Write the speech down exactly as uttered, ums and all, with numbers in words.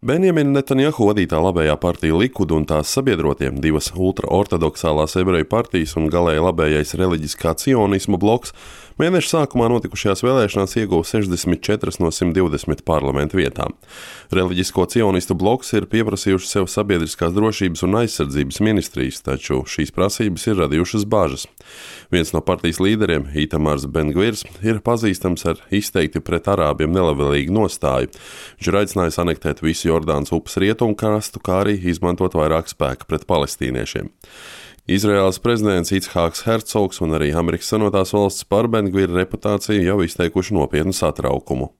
Benjamina Netanjahu vadītā labējā partija Likud un tās sabiedrotiem, divas ultraortodoksālās ebreju partijas un galēji labējais reliģiskā cionisma bloks, mēneša sākumā notikušajās vēlēšanās ieguva sešdesmit četras no simt divdesmit parlamenta vietām. Reliģisko cionistu bloks ir pieprasījuši sev sabiedriskās drošības un aizsardzības ministrijas, taču šīs prasības ir radījušas bāžas. Viens no partijas līderiem, Itamars Ben-Gvirs, ir pazīstams ar izteikti pret arābiem nelabvēlīgu nostāju. Viņš ir aicinājis anektēt visu Jordānas upes rietumu krastu, kā arī izmantot vairāk spēka pret palestīniešiem. Izraēlas prezidents Ichāks Hercogs un arī Amerikas Savienotās valstis par Ben-Gvira reputāciju jau izteikuši nopietnu satraukumu.